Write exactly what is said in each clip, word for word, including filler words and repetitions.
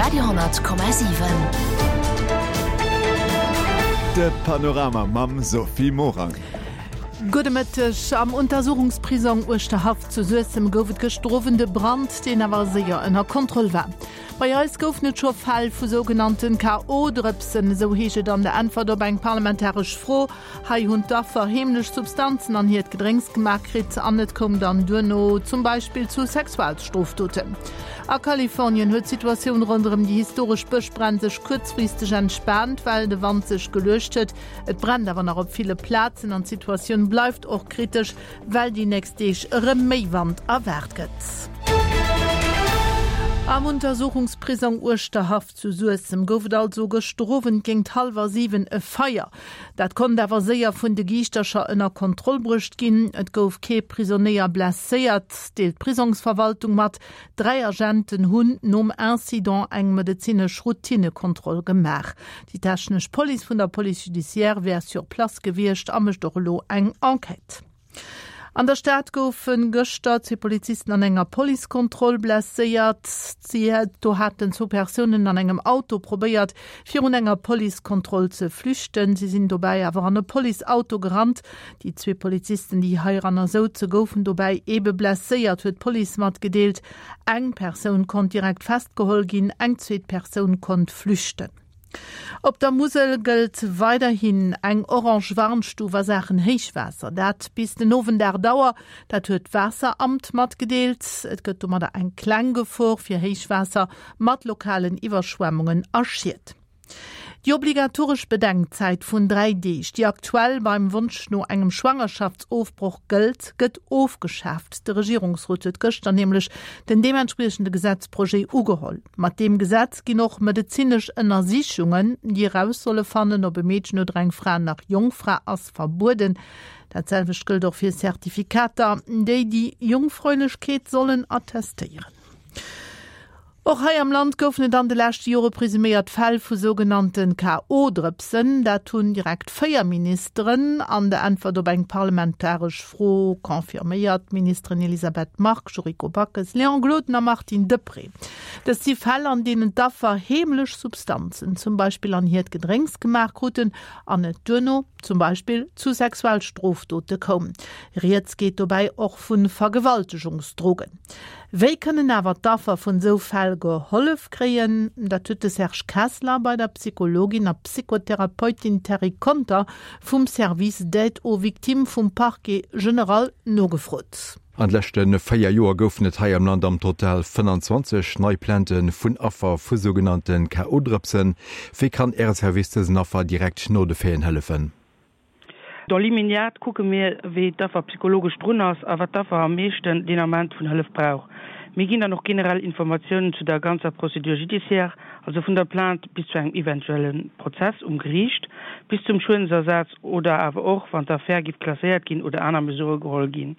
Radio honnert Komma siwen. De Panorama mam Sophie Morang. Gudde Mëtteg. Am Untersuchungsprisong Uerschterhaff zu Suessem gouf et gëschter Owend e Brand, deen awer séier ënner Kontroll war. Bei eis goufen et scho Fäll vu sougenannten K O-Drëpsen, esou heescht et an der Äntwert op eng parlamentaresch Fro. Hei hunn d'Affer heemlech Substanzen an hiert Gedrénks gemaach kritt an et koum dann duerno zum Beispill zu Sexualstrofdoten. A Kalifornien huet d'Situatioun ronderëm déi historesch Bëschbränn sech kuerzfristeg entspaant, well de Wand sech geluecht huet. Et brennt awer nach op ville Plazen an d'Situatioun bleift och kritesch, well déi nächst Deeg erëm méi Wand erwaart gëtt. Am Untersuchungsprisong Uerschterhaff zu Suessem gouf et also gëschter Owend géint hallwer siwen e Feier. Dat konnt awer séier vun de Giischtercher ënner Kontroll bruecht ginn. Et gouf kee Prisonéier blesséiert, deelt d'Prisongsverwaltung mat. Dräi Agenten hunn nom Incident eng medezinesch Routinekontroll gemaach. Déi technesch Police vun der Police judiciaire wär sur place gewiescht a mécht och elo eng Enquête. An der Stad goufe gëschter zwee Polizisten an enger Policekontroll blesséiert. Si do haten zwou Persounen an engem Auto probéiert, virun enger Policekontroll ze flüchten. Si sinn dobäi awer an e Policeauto gerannt. Déi zwee Polizisten, déi heiranner souze, goufen dobäi ebe blesséiert, huet d'Police matgedeelt. Eng Persoun konnt direkt festgeholl ginn, eng zweet Persoun konnt flüchten. Op der Musel gëllt weiderhin eng orange Warnstuf a Saachen Héichwaasser. Dat bis den Owend aacht Auer. Dat huet d'Waasseramt matgedeelt. Et gëtt domadder eng kleng Gefor fir Héichwaasser mat lokalen Iwwerschwemmungen a Schied. Déi obligatoresch Bedenkzäit vun dräi Deeg, déi aktuell beim Wonsch no engem Schwangerschaftsofbroch gëllt, gëtt ofgeschaaft. De Regierungsrot huet gëschter nämlech den deementspriechende Gesetzprojet ugeholl. Mat deem Gesetz ginn och medezinesch Ënnersichungen, déi eraus solle fannen, ob e Meedchen oder eng Fra nach Jongfra ass, verbueden. Dat selwecht gëllt och fir Zertifikater, déi déi Jungfräulechkeet sollen attestéieren. Och hei am Land goufen et an de leschte Jore presuméiert Fäll vu sougenannte K O-Drëpsen. Dat hunn direkt véier Ministeren an der Äntwert op eng parlamentaresch Fro confirméiert, d'Ministeren Elisabeth Margue, Yuriko Backes, Léon Gloden a Martine Deprez. Dëst si Fäll, an deenen d'Affer heemlech Substanzen, zum Beispill an hiert Gedrénks gemaach kruten an et duerno zum Beispill zu Sexualstrofdote koum. Rieds geet dobäi och vu Vergewaltegungsdrogen. Wéi kënnen awer d'Affer vun esou Fäll gehollef kréien? Dat huet de Serge Kessler bei der Psychologin a Psychotherapeutin Terry Conter vum Service d'aide aux victimes vum Parquet général nogefrot. An de leschte véier Joer goufen et hei am Land am Total fënnanzwanzeg nei Plaintë vun Affer vu sougenannte K O-Drëpsen. Wéi kann Äre Service dësen Affer direkt no de Faiten hëllefen? Dans l'immédiat kucke mir, wéi d'Affer psychologesch drun ass a wat d'Affer am meeschten deen Ament vun Hëllef brauch. Mir ginn dann och generell Informatiounen zu der ganzer Procédure judiciaire, also vun der Plainte bis zu engem eventuelle Prozess um Geriicht, bis zum Schuedensersaz oder awer och, wann d'Affär giff klasséiert ginn oder aner Mesurë geholl ginn.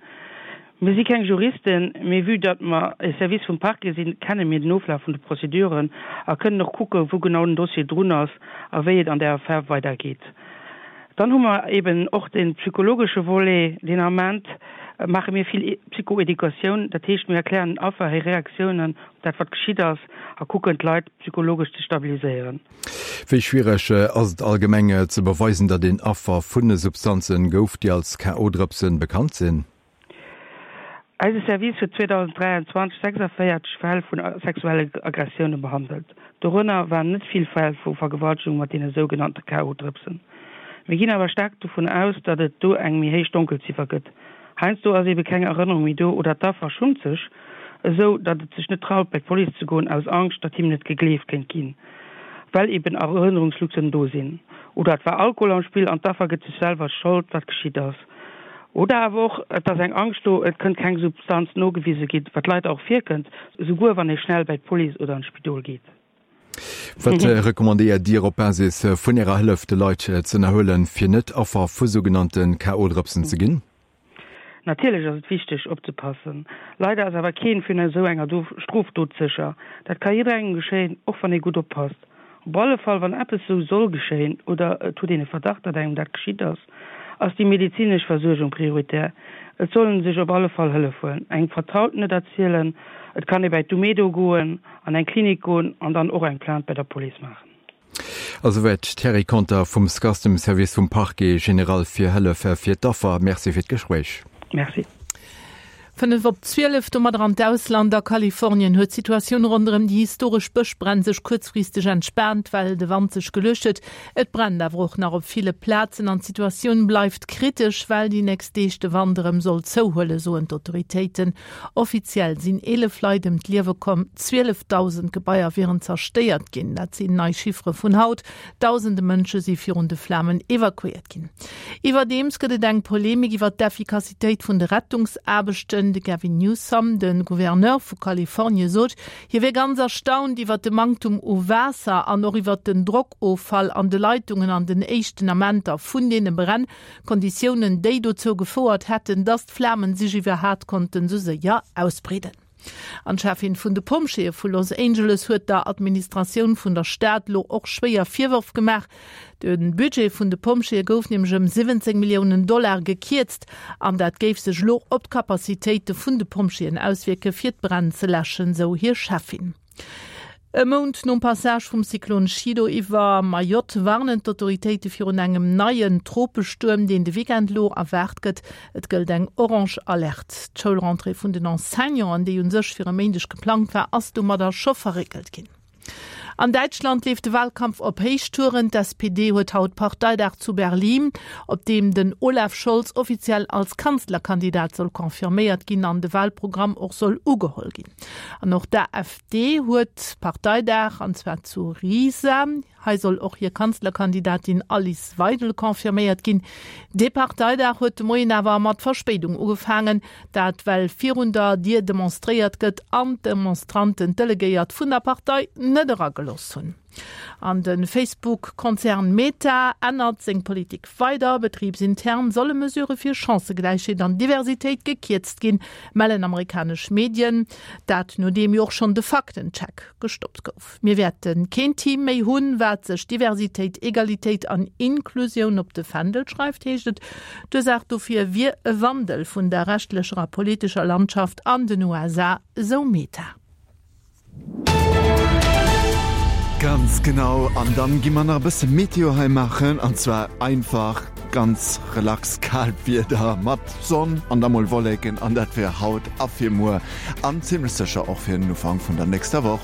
Mir si keng Juristen, mee vue datt mer e Service vum Parquet sinn, kenne mir den Oflaf vun de Prozeduren a kënnen och kucke wou genau den Dossier drun ass a wéi et an där Affär weidergeet. Dann hu mer eben och de psychologesche Volet. Deen Ament maache mir vill Psychoeducatioun, dat heescht mir erklären den Affer hir Reaktiounen op dat wat geschitt ass a kucken d'Leit psychologesch ze stabiliséieren. Wéi schwiereg ass et allgemeng ze beweisen, datt een Affer vun Substanzen gouf, déi als K O-Drëpsen bekannt sinn? Eise Service huet zweedausenddräianzwanzeg sechsavéierzeg Fäll vun sexuelle Aggressioune behandelt. Dorënner waren net vill Fäll vu Vergewaltegung mat deene sougenannte K O-Drëpsen. Mir ginn awer staark dovun aus, datt et do eng méi héich Donkelziffer gëtt. Heiansdo ass ebe keng Erënnerung méi do oder d'Affer schummt sech esou, datt et sech net traut bei d'Police ze goen aus Angscht, datt him net gegleeft kéint ginn, well eben Erënnerungslücken do sinn. Oder et war Alkohol am Spill an d'Affer gëtt sech selwer d'Schold, wat geschitt ass. Oder awer och, et ass eng Angscht do, et kënnt keng Substanz nogewise ginn, wat leider och virkënnt, esouguer wann ee schnell bei d'Police oder an d'Spidol geet. Wat recommandéiert Dir op Basis vun Ärer Hëllef de Leit ze ënnerhuelen, fir net Affer vu sougenannte K O-Drëpsen ze ginn? Natierlech ass et wichteg opzepassen. Leider ass awer keen vun esou enger Strofdot sécher. Dat ka jidderengem geschéien, och wann ee gutt oppasst. Op alle Fall wann eppes esou soll geschéien oder et huet een e Verdacht, datt engem dat geschitt ass, ass déi medezinesch Versuergung prioritär. Et soll en sech op alle Fall Hëllef huelen, engem Vertrauten et erzielen, et kann ee bäi d'Umedo goen, an eng Klinik goen an dann och eng Plainte bei der Police maachen. A souwäit d'Terry Conter vum SCAS, dem Service vum Parquet général fir Hëllef fir d'Affer. Merci fir d'Gespréich. Merci. Fënnef op zwielef, domadder an d'Ausland. A Kalifornien huet d'Situatioun ronderëm déi historesch Bëschbränn sech kuerzfristeg entspaant, well de Wand sech geluecht huet. Et brennt awer och nach op ville Plazen an d'Situatioun bleift kritesch, well déi nächst Deeg de Wand erëm soll zouhuelen, soen d'Autoritéiten. Offiziell sinn eelef Leit ëm d'Liewe komm, zwielefdausend Gebaier wieren zerstéiert ginn. Dat sinn nei Chiffere vun haut. Dausende Mënsche si virun de Flamen evakuéiert ginn. Iwwerdeems gëtt et eng Polemik iwwer d'Effikassitéit vun de Rettungsaarbechten. De Gavin Newsom, de Gouverneur vu Kalifornie sot, hie wier ganz erstaunt iwwer de Manktum u Waasser an och iwwer den Drockoffall an de Leitungen an den éischten Amenter vun deene Bränn, Konditiounen, déi dozou gefouert hätten, datt d'Flamen sech iwwerhat konnten esou séier ausbreeden. An d'Cheffin vun de Pompjeeë vu Los Angeles huet der Administratioun vun der Stad lo och schwéier Virwërf gemaach. De Budget vun de Pompjeeë gouf nämlech ëm siwwenzéng Milliounen Dollar gekierzt an dat géif sech lo op d'Capacitéite vun de Pompjeeën auswierke fir d'Bränn ze läschen, sou hir Cheffin. E Mount nom Passage vum Zyklon Chido iwwer Mayotte warnen d'Autoritéite virun engem neien Tropestuerm, deen de Weekend lo erwaart gëtt. Et gëllt eng orange Alerte. D'Schoulrentrée vun den Enseignanten, déi u sech fir e Méindeg geplangt war, ass domadder scho verréckelt ginn. An Däitschland leeft de Wahlkampf op Héichtouren. D'S P D huet haut Parteidag zu Berlin, op deem den Olaf Scholz offiziell als Kanzlerkandidat soll confirméiert ginn an de Wahlprogramm och soll ugeholl ginn. An och d'A F D huet Parteidag, an zwar zu Riesa. Hei soll och hir Kanzlerkandidatin Alice Weidel confirméiert ginn. Dee Parteidag huet de Moien awer mat Verspéidung ugefaangen, dat well virun der Dier demonstréiert gëtt an d'Demonstranten d'Delegéiert vun der Partei net eragelooss hunn. An de Facebook-Konzern Meta ännert seng Politik weider. Betribsintern solle Mesure fir Chancëgläichheet an Diversitéit gekierzt ginn, mellen amerikanesch Medien. Dat nodeem jo och schonn de Faktencheck gestoppt gouf. Mir wäerte keen Team méi hunn, wat sech Diversitéit, Egalitéit an Inklusioun op de Fändel schreift, heescht et. D'Ursaach dofir wier e Wandel vun der rechtlecher a politescher Landschaft an den U S A, sou Meta. Ganz genau, an dann gi mer nach e bësse Meteo hei maachen, an zwar einfach ganz relax kaalt Wieder mat Sonn an da mol Wolleken, an dat fir haut a fir muer an zimmlech sécher och fir den Ufank vun der nächster Woch.